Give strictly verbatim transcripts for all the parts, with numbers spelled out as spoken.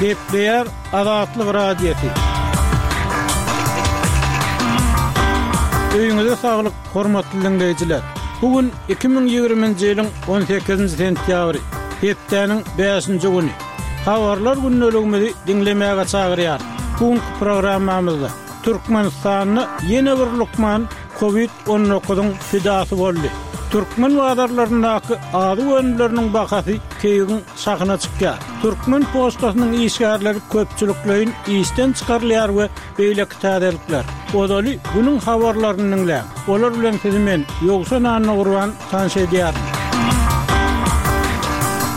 Gepleýär Azatlyk Radiosy. Öýüňize saglyk, hormatly diňleýjiler. Bu gün iki müň ýigriminji ýylyň on sekizinji sentýabry, hepdäniň bäşinji güni. Habarlar gündeligimizi diňlemäge çagyrýar. Bu günki programmamyzda Türkmenistanda ýene bir lukman kowid on dokuzyň pidasy boldy. Türkmen bazarlaryndaky azyk önümleriniň bahasy keýigiň şahyna çykýar. Türkmen poçtasynyň işgärleri köpçülikleýin işden çykarylýar we beýleki täzelikler. Ozaly günüň habarlaryny diňläň. Olar bilen sizi men, Ýowşan Annagurban, tanyş edýärin.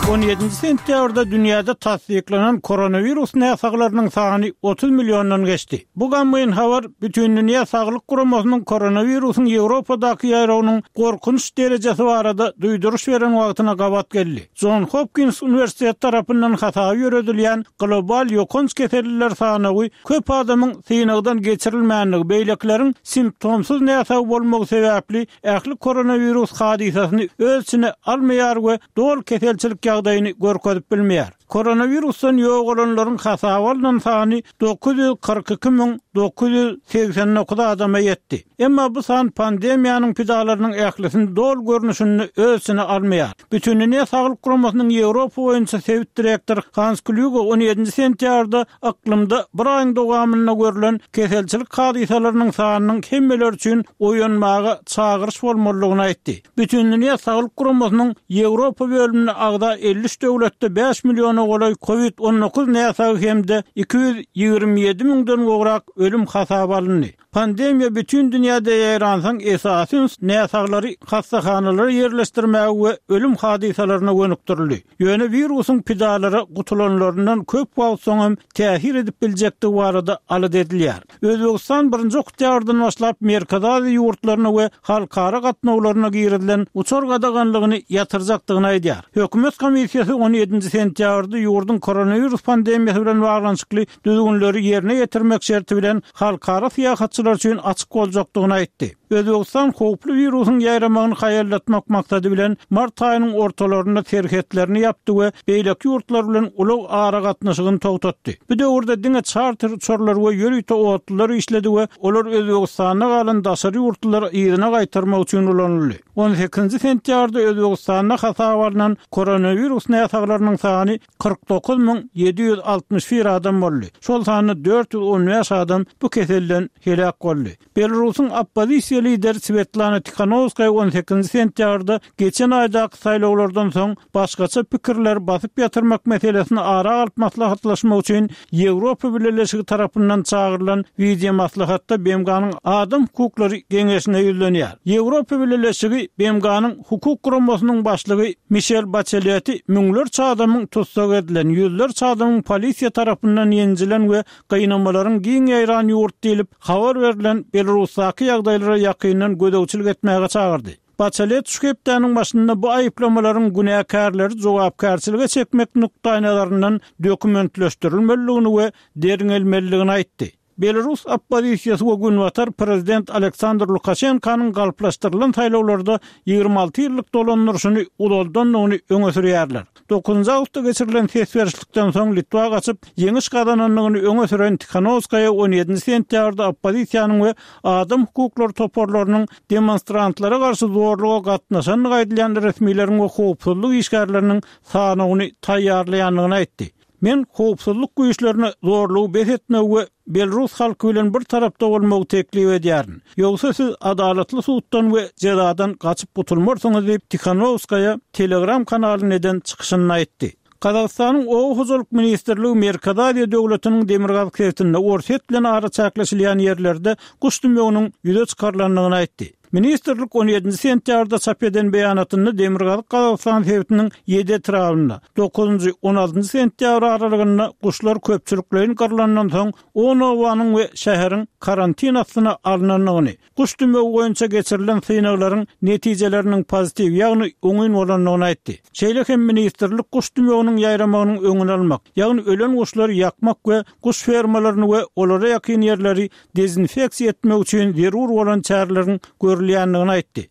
On ýedinji sentýabrda dünýäde tassyklanan koronawirus näsaglarynyň sany otuz milliondan geçdi. Bu gamgyn habar Bütindünýä Saglyk Guramasynyň koronawirusyň Ýewropadaky ýaýrawynyň gorkunç derejesi barada duýduryş beren wagtyna gabat geldi. John Hopkins uniwersiteti tarapyndan hasaby ýöredilýän global ýokanç keselliler sanawy köp adamyň synagdan geçirilmändigi, beýlekileriň simptomsyz näsag bolmagy sebäpli ähli koronawirus hadysasyny öz içine almaýar we doly keselçilik ýagdaýyny görkezip bilmeýär. Koronawirusdan ýogalanlaryň hasaby alnan sany dokuz ýüz kyrk iki müň dokuz ýüz segsen dokuz adama ýetdi. Emma bu san pandemiýanyň pidalarynyň ählisini doly görnüşinde öz içine almaýar. Bütindünýä Saglyk Guramasynyň Ýewropa boýunça sebit direktory Hans Klüge on ýedinji sentýabrda yklymda bir aýyň dowamynda görlen keselçilik hadysalarynyň sanynyň hemmeler üçin oýanmaga çagyryş bolmalydygyny aýtdy. Bütindünýä Saglyk Guramasynyň Ýewropa bölümine agza elli üç döwletde bäş milliona golaý kowid on dokuz näsagy hem-de iki ýüz ýigrimi ýedi müňden gowrak ölüm hasaba alyndy. Pandemiýa bütün dünýäde ýaýransoň esasy üns näsaglary hassahanalara ýerleşdirmäge we ölüm hadysalaryna gönükdirildi. Ýöne wirusyň pidalara gutulanlaryndan köp wagt soň hem täsir edip biljekdigi barada alada edilýär. Özbegistan birinji oktýabrdan başlap Merkezi Aziýa ýurtlaryna we halkara gatnawlaryna girizilen uçar gadaganlygyny ýatyrjakdygyny aýdýar. Hökümet komissiýasy on ýedinji sentýabrda ýurduň koronawirus pandemiýasy bilen baglanyşykly düzgünleri ýerine ýetirmek şerti bilen halkara syýahatçylar üçin açyk boljakdygyny aýtdy. Özbegistan howply wirusyň ýaýramagyny haýallatmak maksady bilen mart aýynyň ortalarynda serhetlerini ýapdy we beýleki ýurtlar bilen ulag aragatnaşygyny togtatdy. Bu döwürde diňe çarter uçarlar we ýörite otlular işledi we olar Özbegistanda galan daşary ýurtlulary yzyna gaýtarmak üçin ulanyldy. On sekizinji sentýabrda Özbegistanda hasaba alnan koronawirus näsaglarynyň sany kyrk dokuz müň ýedi ýüz altmyş bir adam boldy. Şol sanda dört ýüz on bäş adam bu keselden heläk boldy. Belarusyň oppozisiýa lideri Svetlana Tikhanovskaya on sekizinji sentýabrda geçen aýdaky saýlawlardan soň başgaça pikirleri basyp ýatyrmak meselesini ara alyp maslahatlaşmak üçin Ýewropa Bileleşigi tarapyndan çagyrylan wideo maslahatda B M G-nyň Adam hukuklary geňeşine ýüzlenýär. Ýewropa Bileleşigi B M G-nyň hukuk guramasynyň başlygy Mişel Baçeleti müňlerçe adamyň tussag edilen, ýüzlerçe adamyň polisiýa tarapyndan ýenjilen we gynamalaryň giň ýaýran ýurt diýlip habar berlen Belarusdaky ýagdaýlara ýakyndan gözegçilik etmäge çagyrdy. Baçelet şu hepdäniň başynda bu aýyplamalaryň günäkärleri jogapkärçilige çekmek nukdaýnazaryndan dokumentleşdirilmelidigini we derňelmelidigini aýtdy. Belarus oppozisiýasy we Günbatar prezident Aleksandr Lukaşenkanyň galplaşdyrylan saýlawlarda ýigrimi alty ýyllyk dolandyryşyny uzaldandygyny öňe sürýärler. Dokuzynjy awgustda geçirilen ses berişlikden soň Litwa gaçyp, ýeňiş gazanandygyny öňe süren Tikhanovskaya on ýedinji sentýabrda oppozisiýanyň we adam hukuklary toparlarynyň demonstrantlara garşy zorluga gatnaşandygy aýdylýan resmileriň we howpsuzlyk işgärleriniň sanawyny taýýarlaýandygyny aýtdy. Men howpsuzlyk güýçlerine zorlugy bes etmegi we Belarus halky bilen bir tarapda bolmagy teklip edýärin. Ýogsa siz adalatly suddan we jezadan gaçyp gutulmarsyňyz diýip Tikhanovskaya Telegram kanalyna eden çykyşynda aýtdy. Gazagystanyň Oba hojalyk ministrligi Merkezi Aziýa döwletiniň demirgazyk sebitinde Orsýet bilen araçäkleşilýän ýerlerde guş dümewiniň ýüze çykarylandygyny aýtdy. Ministrlik on ýedinji sentýabrda çap eden beýanatynda Demirgazyk Gazagystan sebitiniň ýedi etrabynda dokuzynjy on altynjy sentýabr aralygynda guşlar köpçülikleýin gyrlandan soň on obanyň we şäheriň karantin astyna alynandygyny, guş dümewi boýunça geçirilen synaglaryň netijeleriniň pozitiw, ýagny oňyn bolandygyny aýtdy. Şeýle hem ministrlik guş dümewiniň ýaýramagynyň öňüni almak, ýagny ölen guşlary ýakmak we guş fermalaryny we olara ýakyn ýerleri dezinfeksiýa etmek üçin zerur bolan çäreleriň görülýändigini aýtdy.